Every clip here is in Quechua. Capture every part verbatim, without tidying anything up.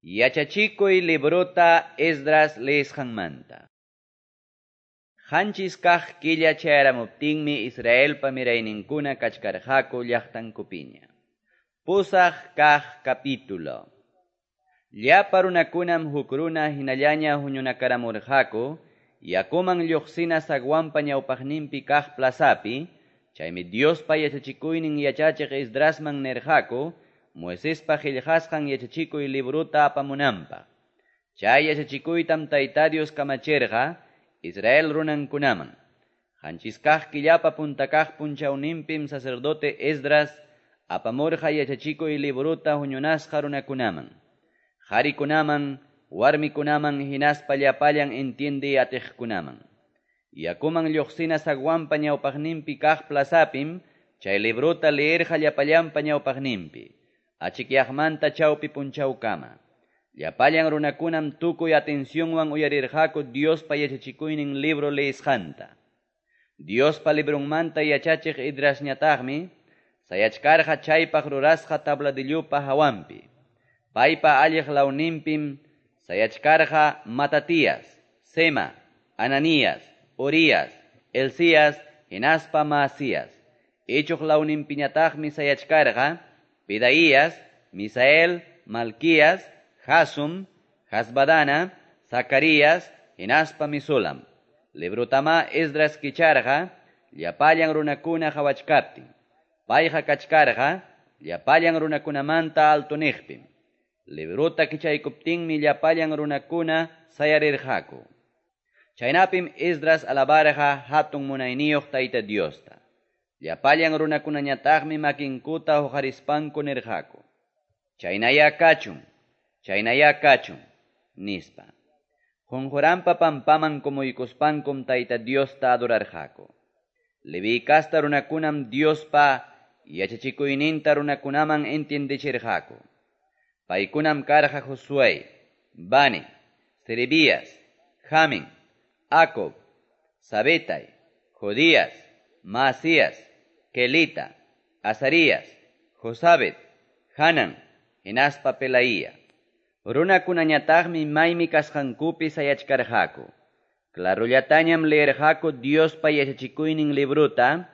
Yachachikuy librota Esdras leesqanmanta. Qanchis kaq killa chayaramuptinmi Israelpa mirayninkuna kachkarqaku llaqtankupiña. Pusaq kaq capítulo. Llapa runakunam huk runa hinallaña huñunakaramurqaku, yakuman lluqsina zaguanpa ñawpaqninpi kaq plazapi, chaymi Diospa yachachikuynin yachachiq Esdrasman nirqaku, Moisespa qillqasqan yachachikuy librota apamunanpaq. Chay yachachikuytam Tayta Dios kamachirqa Israel runankunaman. Qanchis kaq killapa punta kaq punchawninpim sacerdote Esdras apamurqa yachachikuy librota huñunasqa runakunaman. Qarikunaman, warmikunaman hinaspa llapallan entiende atiqkunaman. Yakuman lluqsina zaguanpa ñawpaqninpi kaq plazapim chay librota leerqa llapallanpa ñawpaqninpi. Achikyaqmanta chawpi punchawkama. Llapallan runakunam tukuy atencionwan uyarirqaku Diospa yachachikuynin libro leesqanta. Diospa librunmanta yachachiq Esdrasñataqmi sayachkarqa chaypaq rurasqa tabladillupa hawanpi. Paypa alliq lawninpim sayachkarqa Matatías, Sema, Ananías, Urías, Elías, hinaspa Maasías. Ichuq lawninpiñataqmi sayachkarqa Pedaías, Misael, Malquías, Jasum, Hasbadana, Zacarías, hinaspa Misulam. Librotama Esdras kicharqa, llapallan runakuna qhawachkaptin. Payqa kachkarqa, llapallan runakunamanta altuniqpim. Librota kichaykuptinmi llapallan runakuna sayarirqaku. Chaynapim Esdras alabarqa hatun munayniyuq Tayta Diosta. Llapallan runakunañataqmi makinkuta huqarispanku nirqaku. Chaynaya kachun, chaynaya kachun, nispa. Qunquranpa pampaman kumuykuspankum Tayta Diosta adorarqaku. Leví kasta runakunam Diospa yachachikuyninta runakunaman entiendechirqaku. Paykunam karqa Josué, Bani, Serebías, Jamin, Acob, Sabetay, Jodías, Maasías, Kelita, Azarías, Josabet, Hanan, hinaspa Pelaía. Runakunañataqmi maymi kasqankupi sayachkarqaku. Clarullatañam leerqaku Diospa yachachikuynin librota,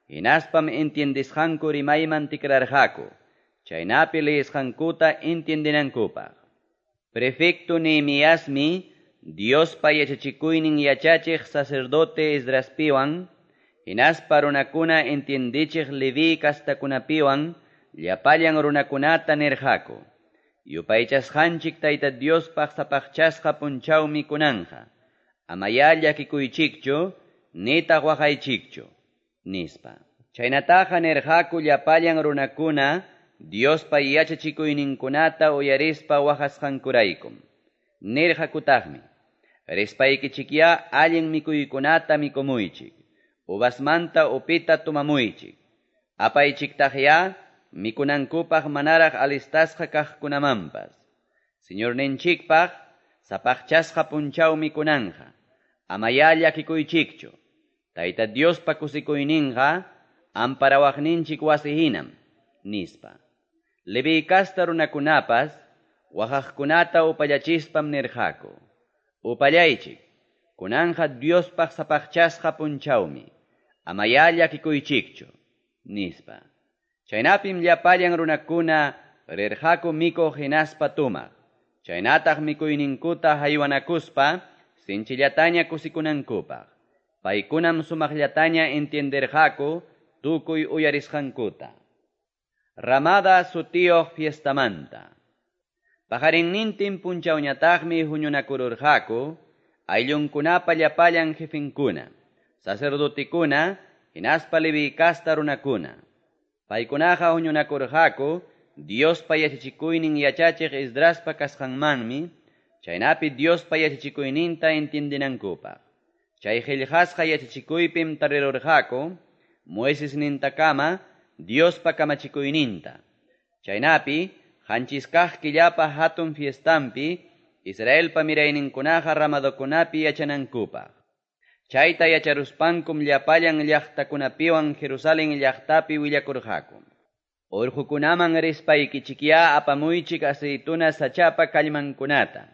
hinaspam entiendisqanku rimayman tikrarqaku, chaynapi leesqankuta entiendenankupaq. Prefecto Nehemiasmi Diospa yachachikuynin yachachiq sacerdote Esdraspiwan, hinaspa runakuna entiendichiq Leví kastakunapiwan llapallan runakunata nirqaku. Yupaychasqanchik Tayta Diospaq sapaqchasqa punchawmi kunanja. Amaya llakikuychikchu, nitaq waqaychikchu, nispa. Chaynataqa nirqaku llapallan runakuna Diospa yachachikuyninkunata uyarispa waqasqankuraykum. Nirqakutaqmi, rispaykichikyá allin mikuykunata mikumuychik. Uvasmanta upita tumamuychik. Apaychiktaqya mikunankupaq manaraq alistasqa kaqkunamanpas. Señorninchikpaq sapaqchasqa punchawmi kunanja. Amaya llakikuychikchu. Tayta Diospa kusikuyninqa amparawaqninchik wasi hinam, nispa. Leví kasta runakunapas waqaqkunata upallachispam nirqaku. Upallaychik. Kunanja Diospaq sapaqchasqa punchawmi. Amaya llakikuychikchu, nispa. Chaynapim llapallan runakuna rirqaku mikuq hinaspa tumaq. Chaynataq mikuyninkuta haywanakuspa sinchillataña kusikunankupaq. Paykunam sumaqllataña entienderqaku tukuy uyarisqankuta. Ramada sutiyuq fiestamanta. Paqarinnintin punchawñataqmi huñunakururqaku ayllunkunapa llapallan jefinkuna, sacerdotikuna, hinaspa Leví kasta runakuna. Paykunaqa huñunakurqaku Diospa yachachikuynin yachachiq Esdraspa kasqanmanmi, chaynapi Diospa yachachikuyninta entiendenankupaq. Chay qillqasqa yachachikuypim tarirurqaku Moisesnintakama Diospa kamachikuyninta. Chaynapi qanchis kaq killapa hatun fiestampi Israelpa mirayninkunaqa ramadokunapi yachanankupaq. Chayta yacharuspankum llapallan llaqtakunapiwan Jerusalén llaqtapi willakurqaku. Orqokunaman rispaykichikyá apamuychik aceituna sachapa kallmankunata,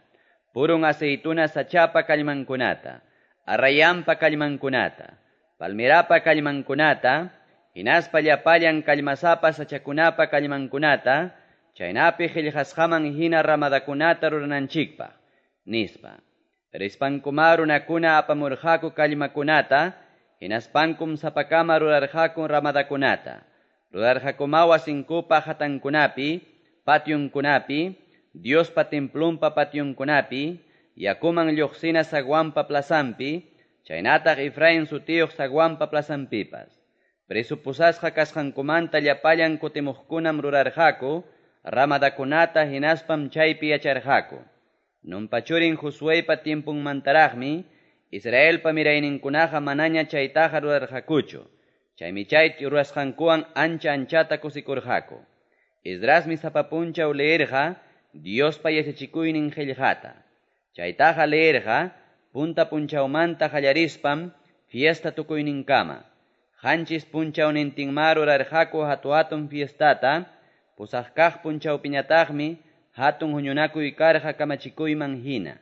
purun aceituna sachapa kallmankunata, arrayanpa kallmankunata, palmerapa kallmankunata, hinaspa llapallan kallmasapa sachakunapa kallmankunata, chaynapi qillqasqaman hina ramadakunata rurananchikpaq, nispa. Rispankumá runakuna apamurqaku kallmakunata, hinaspankum sapakama rurarqaku ramadakunata. Rurarqakumá wasinkupa hatankunapi, pationkunapi, Diospa templonpa pationkunapi, yakuman lluqsina zaguanpa plazanpi, chaynataq Efraín sutiyuq zaguanpa plazanpipas. Preso pusasqa kasqankumanta llapallan kutimuqkunam rurarqaku ramadakunata hinaspam chaypi yacharqaku. Nunpa churin Josueypa tiemponmantaraqmi Israelpa mirayninkunaqa manaña chaytaqa rurarqakuchu. Chaymi chay rurasqankuwan ancha anchata kusikurqaku. Esdrasmi sapa punchaw leerqa Diospa yachachikuynin qillqata. Chaytaqa leerqa punta punchawmanta qallarispam fiesta tukuyninkama. Qanchis punchawnintinmá rurarqaku hatu-hatun fiestata, pusaq kaq punchawpiñataqmi hatun huñunakuy karqa kamachikuyman hina.